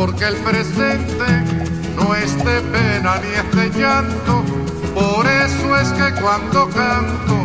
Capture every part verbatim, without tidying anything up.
porque el presente no es de pena ni es de llanto. Por eso es que cuando canto,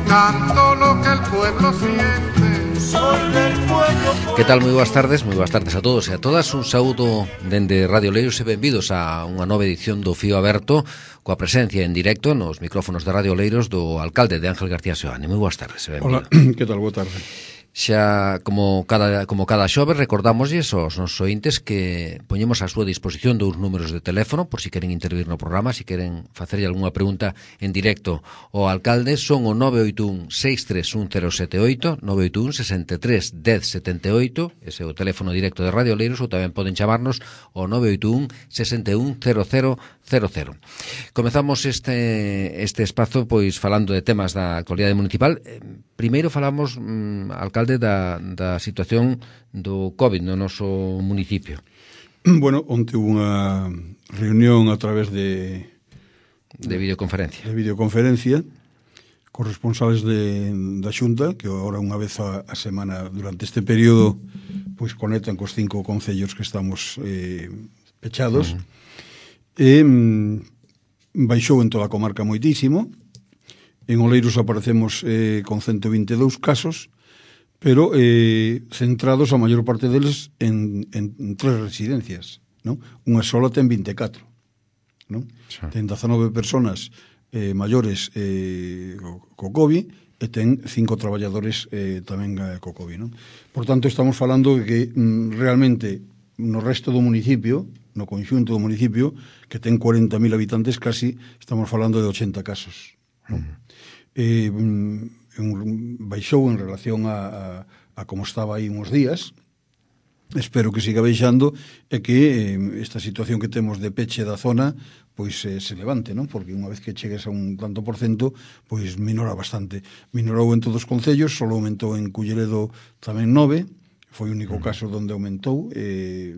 canto lo que el pueblo siente. Soy del pueblo. Que tal? Moi boas tardes, moi boas tardes a todos e a todas. Un saúdo dende Radio Oleiros e benvidos a unha nova edición do Fío Aberto, coa presencia en directo nos micrófonos de Radio Oleiros do alcalde de Ángel García Seoane. Moi boas tardes e benvido. Hola, que tal? Boa tarde. Xa, como cada, como cada xoves, recordámosles aos nosos ointes que poñemos a súa disposición dous números de teléfono por si queren intervir no programa, si queren facerlle algunha pregunta en directo ao alcalde. Son o nove oito un, seis tres un, cero sete oito, nove oito un, seis tres, un cero sete oito, ese é o teléfono directo de Radio Oleiros, ou tamén poden chamarnos ao nove oito un, seis un, cero cero cero cero. Comezamos este, este espazo pois falando de temas da actualidade municipal. Primeiro falamos, mm, alcalde, da, da situación do COVID no noso municipio. Bueno, onte unha reunión a través de de videoconferencia. De videoconferencia cos responsables de, da Xunta, que agora unha vez a, a semana durante este período pois conectan cos cinco concellos que estamos eh, pechados. Uh-huh. E mm, baixou en toda a comarca moitísimo. En Oleiros aparecemos eh, con ciento vinte e dous casos, pero eh, centrados a maior parte deles en, en, en tres residencias, non? Unha sola ten vinte e catro, non? Sí. Ten dezanove personas eh, maiores eh, co COVID e ten cinco traballadores eh, tamén eh, co COVID, non? Por tanto, estamos falando de que mm, realmente no resto do municipio, no conxunto do municipio, que ten cuarenta mil habitantes, casi estamos falando de ochenta casos, non? Uh-huh. Eh, baixou en relación a, a, a como estaba aí uns días. Espero que siga baixando e que eh, esta situación que temos de peche da zona pois eh, se levante, non? Porque unha vez que chegues a un tanto por cento pois minora bastante. Minorou en todos os concellos, só aumentou en Culleredo tamén nove, foi o único caso onde aumentou, eh,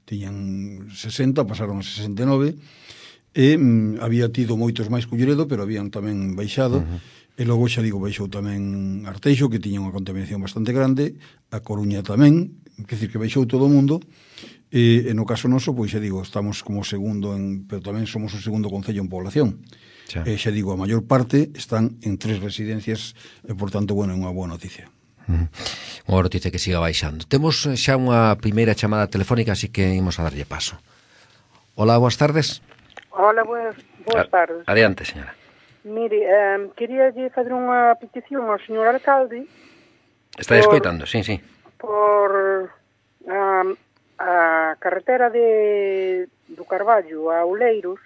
tiñan sesenta, pasaron a sesenta e nove, e mm, había tido moitos máis Culleredo, pero habían tamén baixado. Uh-huh. E logo, xa digo, baixou tamén Arteixo, que tiña unha contaminación bastante grande, a Coruña tamén, que decir que baixou todo o mundo, e, e no caso noso, pois xa digo, estamos como segundo, en, pero tamén somos o segundo concello en población. Xa. E xa digo, a maior parte están en tres residencias, e por tanto, bueno, é unha boa noticia. Uh-huh. Unha boa noticia que siga baixando. Temos xa unha primeira chamada telefónica, así que imos a darlle paso. Hola, boas tardes. Hola, boas, boas tardes. Adiante, señora. Mire, eh, quería fazer unha petición ao señor alcalde. Está escoitando, sí, sí. Por a, a carretera de do Carballo a Oleiros,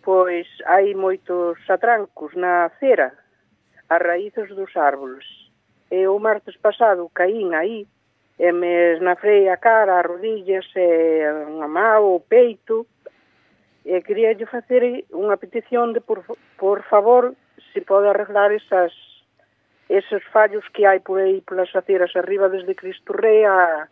pois hai moitos atrancos na acera, as raíces dos árboles. E o martes pasado caín aí, e me esnafrei a cara, as rodillas, e unha mão, o peito. E queria lle facer unha petición de, por, por favor, se pode arreglar esas, esos fallos que hai por aí polas aceras arriba desde Cristo Rei a,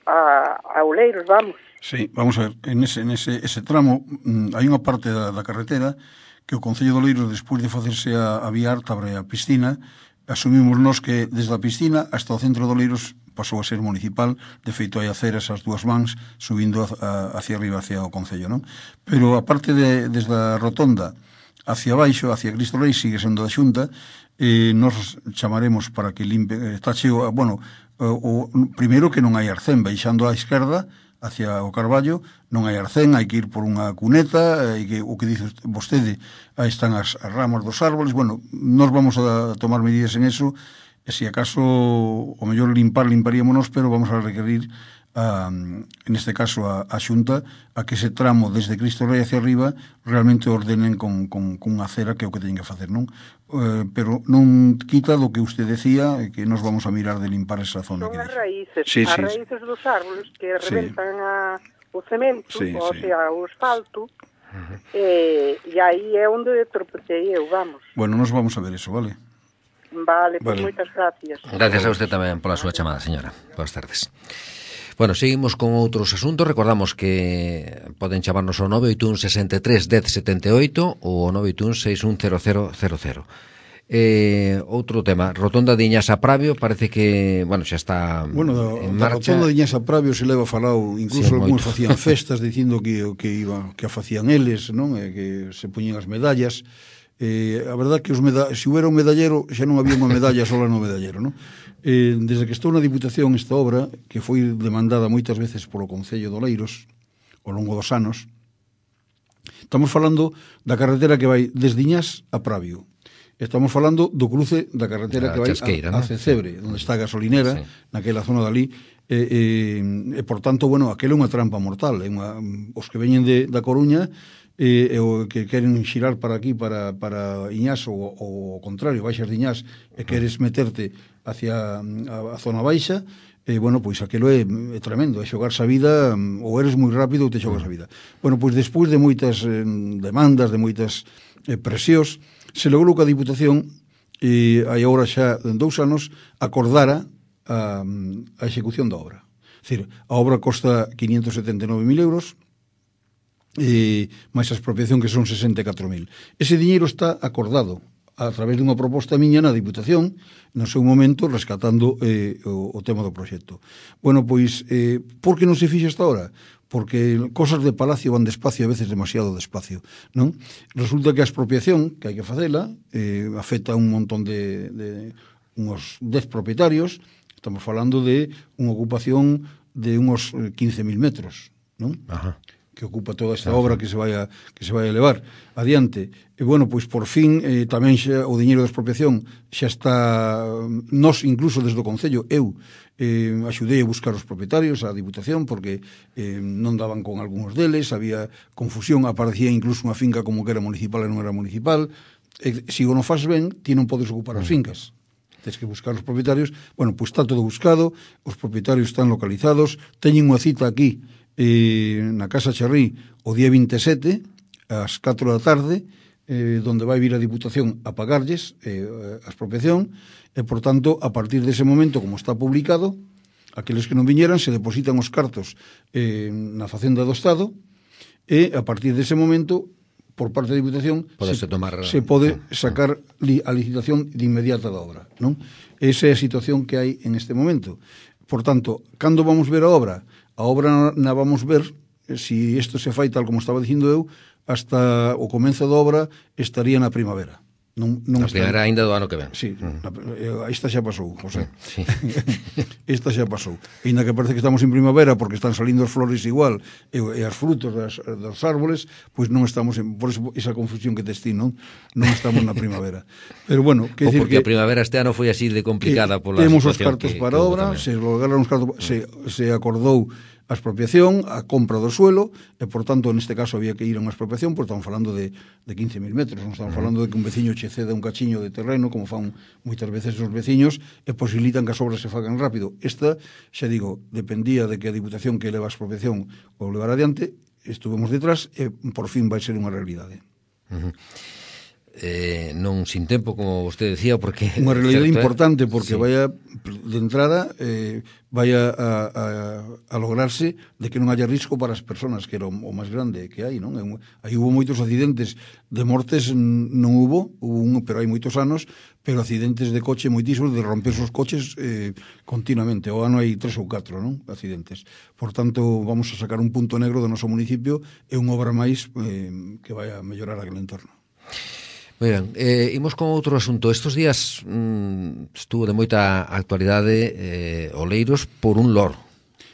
a, a Oleiros, vamos. Sí, vamos a ver, en ese, en ese, ese tramo mmm, hai unha parte da, da carretera que o Concello de Oleiros, despois de facerse a, a vía Ártabre a piscina, asumimos nós que desde a piscina hasta o centro de Oleiros pasou a ser municipal. De feito, hai aceras as dúas mans subindo a, a, hacia arriba, hacia o Concello, non? Pero a parte de, desde a rotonda hacia baixo, hacia Cristo Rei, sigue sendo da Xunta, e nos chamaremos para que limpe, está cheo, bueno, o, o, primeiro que non hai arcén, baixando á esquerda hacia o Carballo, non hai arcén, hai que ir por unha cuneta, e que, o que dice vostede, aí están as, as ramas dos árboles. Bueno, nos vamos a tomar medidas en eso. E se acaso o mellor limpar, limparíamonos, pero vamos a requerir, a, en este caso, a, a Xunta, a que ese tramo desde Cristo Rei hacia arriba realmente ordenen con, con, con unha acera, que é o que teñen que facer, non? Eh, pero non quita do que usted decía, que nos vamos a mirar de limpar esa zona. Son que as raíces, sí, as sí, raíces dos árboles que reventan sí. a, o cemento, sí, o sí. sea, o asfalto, uh-huh. e, e aí é onde tropecei eu, vamos. Bueno, nos vamos a ver eso, vale? Vale, pues vale. moitas gracias. Gracias a usted tamén pola súa chamada, señora. Boas tardes. Bueno, seguimos con outros asuntos. Recordamos que poden chamarnos ao nove oito un, seis tres, un cero sete oito ou ao nove oito un, seis un cero cero cero cero. Eh, outro tema, Rotonda de Iñasa Pravio, parece que, bueno, xa está bueno, da, en da marcha. Rotonda de Iñasa Pravio se leva falado, incluso Sí, algúns moito. facían festas dicindo que que iba que a facían eles, non? E que se poñían as medallas. Eh, a verdad que os meda se houbera un medallero xa non había unha medalla sola no medallero, non? Eh, desde que estou na Diputación esta obra, que foi demandada moitas veces polo Concello de Oleiros ao longo dos anos, estamos falando da carretera que vai desde Iñás a Pravio. Estamos falando do cruce da carretera Da que vai Chasqueira, a, a ¿no? Cecebre, onde está a gasolinera, Sí. naquela zona dali, e, e, e por tanto, bueno, aquela é unha trampa mortal, é unha, os que veñen de, da Coruña e, e o que queren xirar para aquí, para, para Iñás, ou o contrario, baixas de Iñás e queres meterte hacia a, a zona baixa, e, bueno, pois aquilo é, é tremendo, é xogarse a vida, ou eres moi rápido ou te xogas a vida. Bueno, pois despois de moitas eh, demandas, de moitas eh, presións, se logrou que a Diputación, e hai agora xa en dous anos, acordara a, a execución da obra. É dicir, a obra costa quinientos setenta e nove mil euros, e máis a expropiación que son sesenta e catro mil. Ese diñeiro está acordado a través dunha proposta miña na Diputación, no seu momento, rescatando eh, o, o tema do proxecto. Bueno, pois, eh, por que non se fixe esta hora? Porque cosas de palacio van despacio, a veces demasiado despacio, non? Resulta que a expropiación, que hai que facela, eh, afecta a un montón de, de unos dez propietarios, estamos falando de unha ocupación de unos quince mil metros, non? Ajá. Que ocupa toda esta obra que se vai a, que se vai a levar adiante. E, bueno, pois, por fin, eh, tamén xa, o diñeiro da expropiación xa está, nos, incluso desde o Concello, eu, eh, axudei a buscar os propietarios, a Diputación, porque eh, non daban con algúns deles, había confusión, aparecía incluso unha finca como que era municipal e non era municipal. E, se o non faz ben, ti non podes ocupar as fincas. Tens que buscar os propietarios. Bueno, pois está todo buscado, os propietarios están localizados, teñen unha cita aquí, eh, na Casa Charrí, o día vinte e sete, ás catro da tarde, eh, donde vai vir a Diputación a pagarlles eh, a expropiación, e, por tanto, a partir dese momento, como está publicado, aqueles que non viñeran se depositan os cartos eh, na Facenda do Estado, e, a partir dese momento, por parte da Diputación, se, tomar... se pode sacar li, a licitación de inmediata da obra, non? Esa é a situación que hai en este momento. Por tanto, cando vamos ver a obra? A obra na vamos ver, se isto se fai tal como estaba dicindo eu, hasta o comenzo da obra estaría na primavera. Non, non a primavera ainda do ano que ven. Sí, uh -huh. esta xa pasou, José. Sí. Esta xa pasou. E ainda que parece que estamos en primavera porque están salindo as flores igual e, e as frutos das, dos árboles, pois non estamos en, por eso esa confusión que te estín, non? Non estamos na primavera. Pero bueno, que o decir porque que a primavera este ano foi así de complicada pola temos os situación cartos que, para que obra, se lograron os cartos, se, se acordou a expropiación, a compra do suelo, e, por tanto, neste caso había que ir a unha expropiación, porque estamos falando de, de quince mil metros, non estamos falando de que un veciño che ceda un cachiño de terreno, como fan moitas veces os veciños, e posibilitan que as obras se fagan rápido. Esta, xa digo, dependía de que a Diputación que leva a expropiación o levar adiante, estuvemos detrás, e por fin vai ser unha realidade. Uh -huh. Eh, non sin tempo, como vostede decía, porque unha realidade certo, importante, porque sí. vai a, de entrada eh, vai a, a, a lograrse de que non haya risco para as persoas, que era o, o máis grande que hai, non? Aí hubo moitos accidentes de mortes, non hubo, hubo un, pero hai moitos anos, pero accidentes de coche moitísimos, de romperse os coches eh, continuamente. O ano hai tres ou catro, non? Accidentes. Por tanto, vamos a sacar un punto negro do noso municipio e unha obra máis eh, que vai a mellorar aquel entorno. Moi ben, eh, imos con outro asunto. Estos días mm, estuvo de moita actualidade eh, Oleiros por un loro.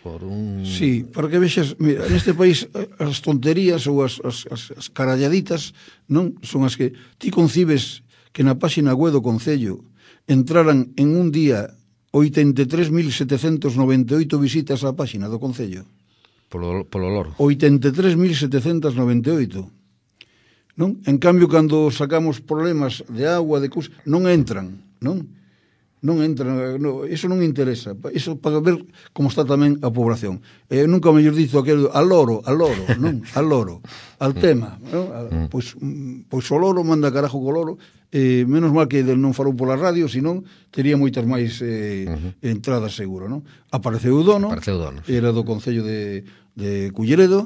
Por un... Sí, para que vexas, mira, neste país as tonterías ou as, as, as, as caralladitas non son as que ti concibes que na páxina web do Concello entraran en un día oitenta e tres mil setecentos noventa e oito visitas á páxina do Concello. Polo, polo loro. oitenta e tres mil setecentos noventa e oito. Non? En cambio, cando sacamos problemas de agua, de cus, non entran, non? Non entran, no, eso non interesa. Eso para ver como está tamén a población. Eh, nunca mellor dito aquel al loro, al loro, non? Al loro, al tema, non? A, pois, pois o loro manda carajo co loro. Eh, menos mal que non falou pola radio, senón tería moitas máis eh, uh -huh. entradas seguro, non? Apareceu o dono, Apareceu o dono, era do Concello de, de Culleredo,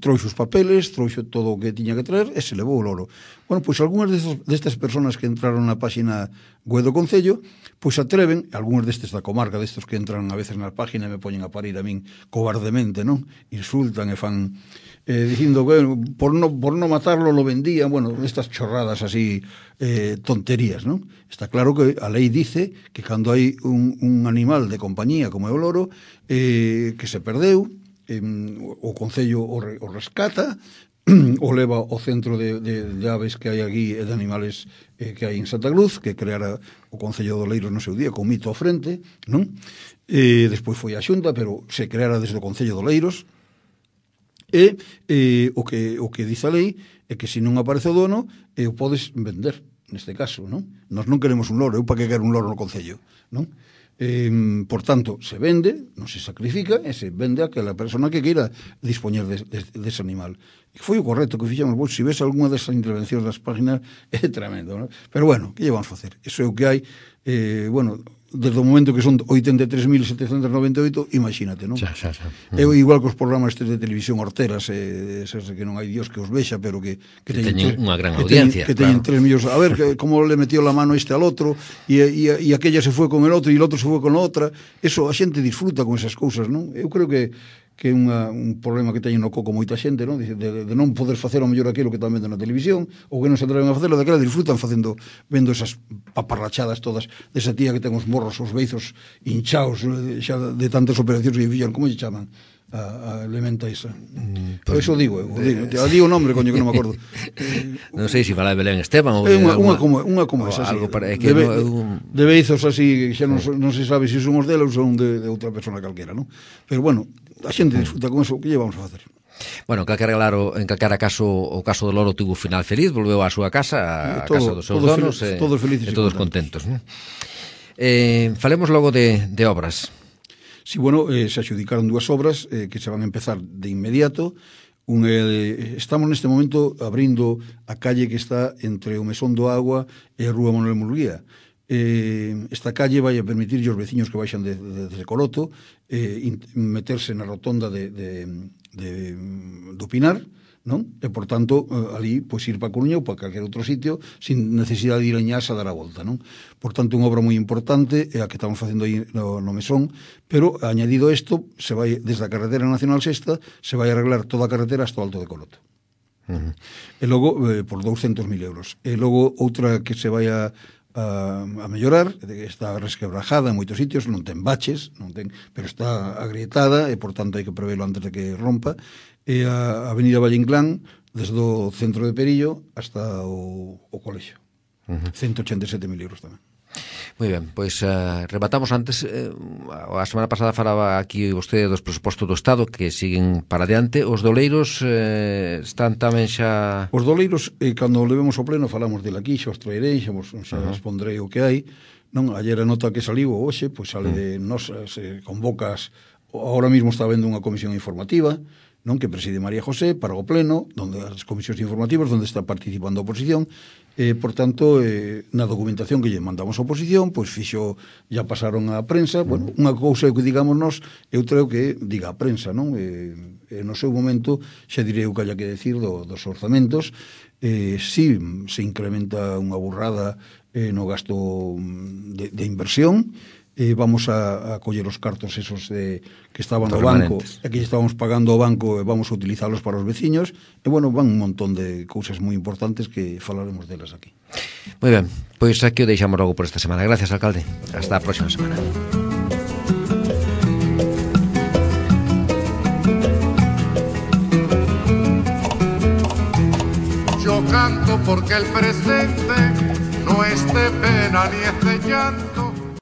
trouxo os papeles, trouxo todo o que tiña que traer e se levou o loro. Bueno, pois algunhas destos, destas personas que entraron na página web do Concello, pois atreven, algúns destes da comarca, destes que entran a veces na página e me poñen a parir a min cobardemente, non? Insultan e fan eh, dicindo que por no, por no matarlo lo vendían, bueno, estas chorradas así, eh, tonterías, non? Está claro que a lei dice que cando hai un, un animal de compañía como é o loro, eh, que se perdeu, eh, o Concello o, re, o rescata, o leva ao centro de, de, de aves que hai aquí e de animales eh, que hai en Santa Cruz, que creara o Concello de Oleiros no seu día, con mito ao frente, non? E despois foi a Xunta, pero se creara desde o Concello de Oleiros, e eh, o, que, o que dice a lei é que se non aparece o dono, eh, o podes vender, neste caso, non? Nós non queremos un loro, eu para que quero un loro no Concello, non? Eh, por tanto, se vende, non se sacrifica, e se vende a aquela persona que queira dispoñer de, de, de ese animal. E foi o correcto que fixemos, vos, se ves algunha desas intervencións das páginas, é tremendo, non? Pero bueno, que lle vamos facer? Iso é o que hai, eh, bueno, desde o momento que son oitenta e tres mil setecentos noventa e oito, imagínate, non? Xa, xa, xa. É igual que os programas estes de televisión horteras, eh, esas que non hai Dios que os vexa, pero que, que, que teñen unha gran que audiencia, teñen, que teñen claro. tres millóns. A ver, que, como le metió la mano este al otro, e, e, e aquella se foi con el outro, e el outro se foi con a outra. Eso, a xente disfruta con esas cousas, non? Eu creo que que é unha, un problema que teñen no coco moita xente, non? De, de, de non poder facer ao mellor aquilo que están vendo na televisión, ou que non se atreven a facelo, daquela disfrutan facendo, vendo esas paparrachadas todas, desa tía que ten os morros, os beizos hinchaos, xa de tantas operacións que fixan, como lle chaman? A, a elementa esa. Mm, pues, eso digo, eu, digo, te digo o nombre, coño, que non me acordo. Non sei se fala de Belén Esteban ou é unha, alguna, unha como, unha como esa, algo así, para, que de, no, un... de beizos así, xa non, non se sabe se son os dela ou son de, de outra persona calquera, non? Pero bueno, a xente disfruta con eso, que lle vamos a facer? Bueno, calquera, claro, en calquera caso, o caso do loro tuvo final feliz, volveu á súa casa, a todo, casa dos seus todos donos, fel, e, todos felices e todos contentos. contentos eh, falemos logo de, de obras. Sí, bueno, eh, se adjudicaron dúas obras eh, que se van a empezar de inmediato. Un, eh, estamos neste momento abrindo a calle que está entre o Mesón do Agua e a Rúa Manuel Murguía. Eh, esta calle vai a permitir aos veciños que baixan de, de, de Coroto eh, in, meterse na rotonda de, de, de, do Pinar, non? E, por tanto, eh, ali, pois, ir para Coruña ou para calquer outro sitio sin necesidade de ir a Ñas a dar a volta, non? Por tanto, unha obra moi importante é a que estamos facendo aí no, no Mesón, pero, añadido isto, se vai, desde a carretera nacional sexta, se vai arreglar toda a carretera hasta o Alto de Coroto. Uh-huh. E logo, eh, por douscentos mil euros. E logo, outra que se vai a a, a mellorar, está resquebrajada en moitos sitios, non ten baches, non ten, pero está agrietada e, por tanto, hai que prevelo antes de que rompa. E a Avenida Valle Inclán, desde o centro de Perillo hasta o, o colexio. Uh-huh. ciento ochenta e sete mil euros tamén. Moi ben, pois uh, rematamos antes, eh, a semana pasada falaba aquí vostede dos presupostos do Estado que siguen para adiante. Os doleiros eh, están tamén xa... Os doleiros, eh, cando levemos ao pleno, falamos del aquí, xa os traerei, xa vos xa uh-huh. respondrei o que hai. Non, ayer a nota que saliu hoxe, pois sale uh-huh. de nos, se convocas, ahora mismo está habendo unha comisión informativa, non, que preside María José para o pleno, donde as comisións informativas onde está participando a oposición. Eh, por tanto, eh, na documentación que lle mandamos a oposición, pois fixo, ya pasaron a prensa. Bueno, unha cousa que digamos nós, eu creo que diga a prensa, non? Eh, eh, no seu momento xa direi o que haya que decir do, dos orzamentos. Eh, si se incrementa unha burrada eh, no gasto de, de inversión, eh, vamos a, a coller os cartos esos de, que estaban no banco e que estábamos pagando ao banco e vamos a utilizalos para os veciños, e bueno, van un montón de cousas moi importantes que falaremos delas aquí. Moi ben, pois aquí o deixamos logo por esta semana. Gracias, alcalde. Hasta a próxima semana. Yo canto porque el presente no es de pena ni es de llanto.